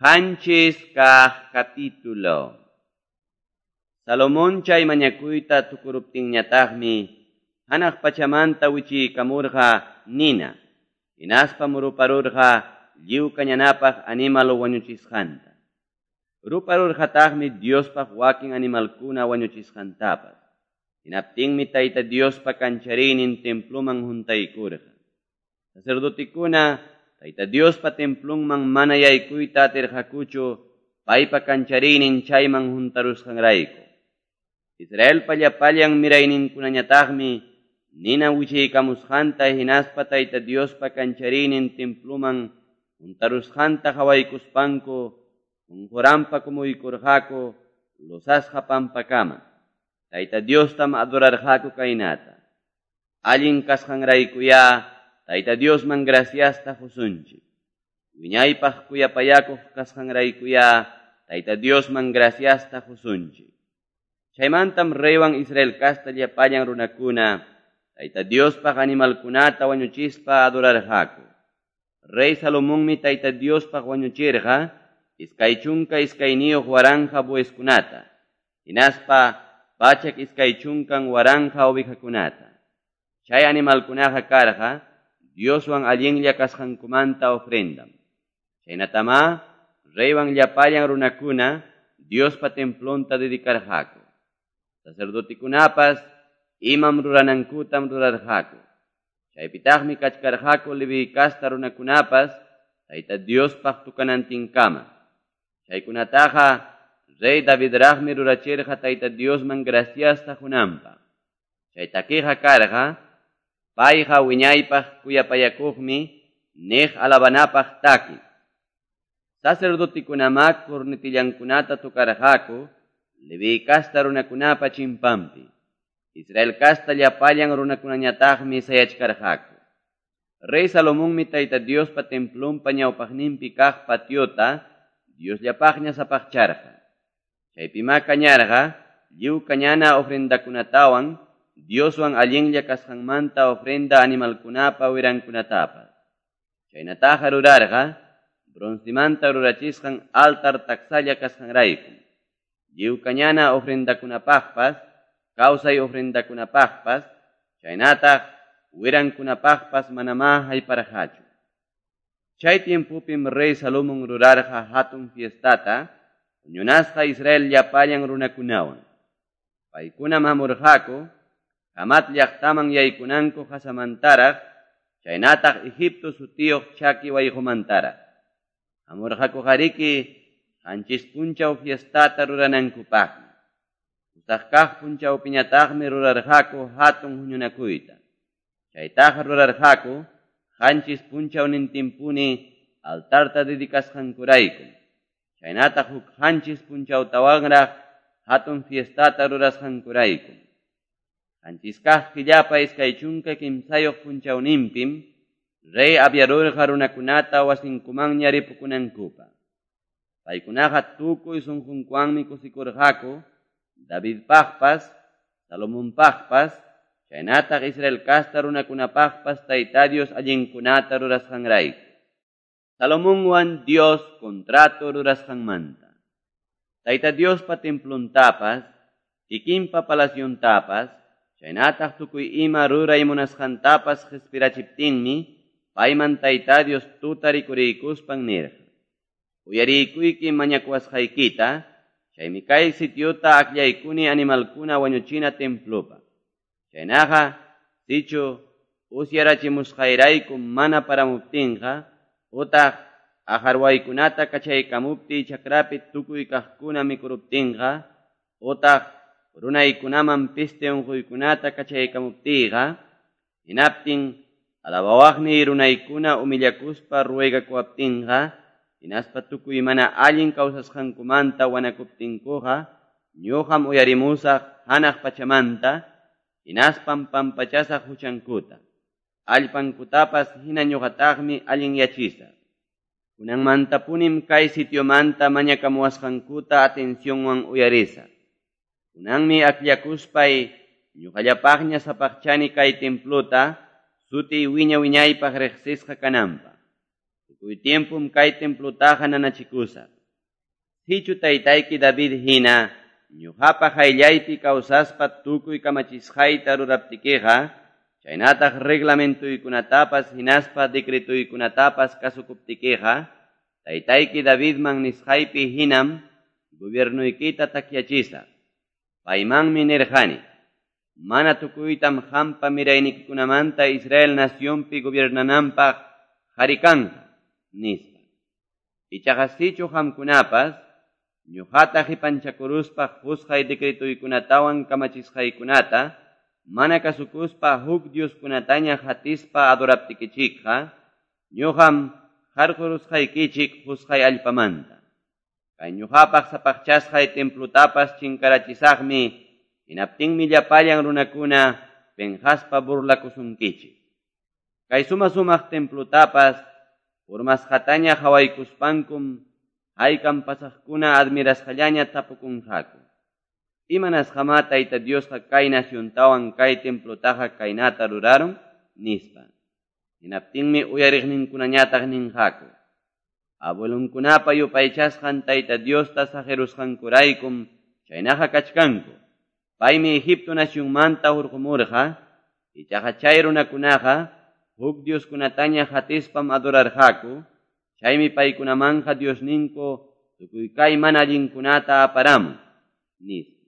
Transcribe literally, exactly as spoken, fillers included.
Qanchis kaq capítulo. Salomón chay mañakuyta tukuruptinñataqmi hanaq pachamanta wichiykamurqa nina, hinaspa muruparurqa lliw kañanapaq animal wañuchisqanta. Ruparurqataqmi Diospaq wakin animalkuna wañuchisqantapas. Hinaptinmi Tayta Diospa kanchariynin temploman huntaykurqa. Sacerdotikuna Tayta Diospa templonman mana yaykuyta atirqakuchu paypa kanchariynin chayman huntarusqanrayku. Israelpa llapallan mirayninkunañataqmi nina wichiykamusqanta hinaspa Tayta Diospa kanchariynin temploman huntarusqanta qhawaykuspanku qunquranpa kumuykurqaku losasqa pampakama. Tayta Diostam adorarqaku kaynata. Allin kasqanraykuyá Tayta Diosman graciasta qusunchik. Wiñaypaq kuyapayakuq kasqanraykuyá Tayta Diosman graciasta qusunchik. Chaymantam reywan Israel kasta llapallan runakuna Tayta Diospaq animalkunata wañuchispa adorarqaku. Rey Salomonmi Tayta Diospaq wañuchirqa iskay chunka iskayniyuq waranqa bueskunata, hinaspa pachak iskay chunkan waranqa ovejakunata. Chay animalkunaqa karqa Dioswan allinlla kasqankumanta ofrendam. Chaynatamá reywan llapallan runakuna Diospa templonta dedicarqaku. Sacerdotikunapas imam ruranankutam rurarqaku. Chaypitaqmi kachkarqaku Leví kasta runakunapas Tayta Diospaq tukanantinkama. Chaykunataqa rey Davidraqmi rurachirqa Tayta Diosman graciasta qunanpaq. Chay takiqa karqa payqa wiñaypaq kuyapayakuqmi niq alabanapaq taki. Sacerdotikunamaq cornetillankunata tukarqaku Leví kasta runakunapa chimpanpi. Israel kasta llapallan runakunañataqmi sayachkarqaku. Rey Salomonmi Tayta Diospa templonpa ñawpaqninpi kaq patiota Diosllapaqña sapaqcharqa. Chaypimá kañarqa lliw kañana ofrendakunatawan Dioswan allinlla kasqanmanta ofrenda animalkunapa wirankunatapas. Chaynataqa rurarqa broncemanta rurachisqan altar taksalla kasqanrayku. Lliw kañana ofrendakunapaqpas, kawsay ofrendakunapaqpas, chaynataq wirankunapaqpas manamá hayparqachu. Chay tiempopim rey Salomón rurarqa hatun fiestata, huñunasqa Israel llapallan runakunawan. Paykunam hamurqaku Hamat llaqtaman yaykunanku qasamantaraq, chaynataq Egipto sutiyuq chaki wayqumantaraq. Hamurqakuqariki qanchis punchaw fiestata ruranankupaqmi. Pusaq kaq punchawpiñataqmi rurarqaku hatun huñunakuyta. Chaytaqa rurarqaku qanchis punchawnintinpuni altarta dedicasqankuraykum. Chaynataq huk qanchis punchawtawanraq hatun fiestata rurasqankuraykum. Qanchis kaq killapa iskay chunka kimsayuq punchawninpim rey aviarurqa runakunata wasinkumanña ripukunankupaq. Paykunaqa tukuy sunqunkuwanmi kusikurqaku Davidpaqpas, Salomonpaqpas, chaynataq Israel kasta runakunapaqpas Tayta Dios allinkunata rurasqanrayku. Salomonwan Dios contrato rurasqanmanta. Tayta Diospa templontapas, kikinpa palaciontapas, chaynataq tukuy ima ruray munasqantapas qhispirachiptinmi payman Tayta Dios tuta rikuriykuspan nirqa: Uyariykuyki mañakuwasqaykita, chaymi kay sitiota akllaykuni animalkuna wañuchina templopaq. Chaynaqa sichu usyarachimusqayrayku mana paramuptinqa, utaq aqharwaykunata kachaykamuptiy chakrapi tukuy kaqkuna mikuruptinqa, utaq runaykunaman peste unquykunata kachaykamuptiyqa, hinaptin alabawaqniy runaykuna humillakuspa ruegakuwaptinqa, hinaspa tukuy mana allin kawsasqankumanta wanakuptinkuqa, ñuqam uyarimusaq hanaq pachamanta, hinaspam pampachasaq huchankuta. Allpankutapas hina ñuqataqmi allinyachisaq. Kunanmantapunim kay sitiomanta mañakamuwasqankuta atencionwan uyarisaq. Kunanmi akllakuspay ñuqallapaqña sapaqchani kay templota sutiy wiña wiñaypaq riqsisqa kananpaq. Tukuy tiempom kay templotaqa nanachikusaq. Sichu taytayki David hina, ñuqapa qayllaypi kawsaspa tukuy kamachisqayta ruraptikiqa, chaynataq reglamentuykunatapas hinaspa decretuykunatapas kasukuptikiqa, taytayki Davidman nisqaypi hinam gobiernuykita takyachisaq. Paymanmi nirqani, mana tukuytam qampa miraynikikunamanta Israel nacionpi gobiernananpaq qari kanqa, nispa. Ichaqa sichu qamkunapas, ñuqata qipanchakuruspa qusqay decretuykunatawan kamachisqaykunata, mana kasukuspa huk dioskunataña qatispa adoraptikichikqa, ñuqam qarqurusqaykichik qusqay allpamanta. Kay ñuqapaq sapaqchasqay templotapas chinkarachisaqmi, hinaptinmi llapallan runakuna penqaspa burlakusunkichik. Kay suma-sumaq templotapas urmasqataña qhawaykuspankum haykam pasaqkuna admirasqallaña tapukunqaku. Imanasqamá Tayta Diosqa kay naciontawan kay templotaqa kaynata rurarun, nispa. Hinaptinmi uyariqninkunañataq ninqaku. Abuelunkunapa yupaychasqan Tayta Diosta saqirusqankuraykum chaynaqa kachkanku. Paymi Egipto nacionmanta hurqumurqa, ichaqa chay runakunaqa huk dioskunataña qatispam adorarqaku, chaymi paykunamanqa Diosninku tukuy kay mana allinkunata aparamun, nispa.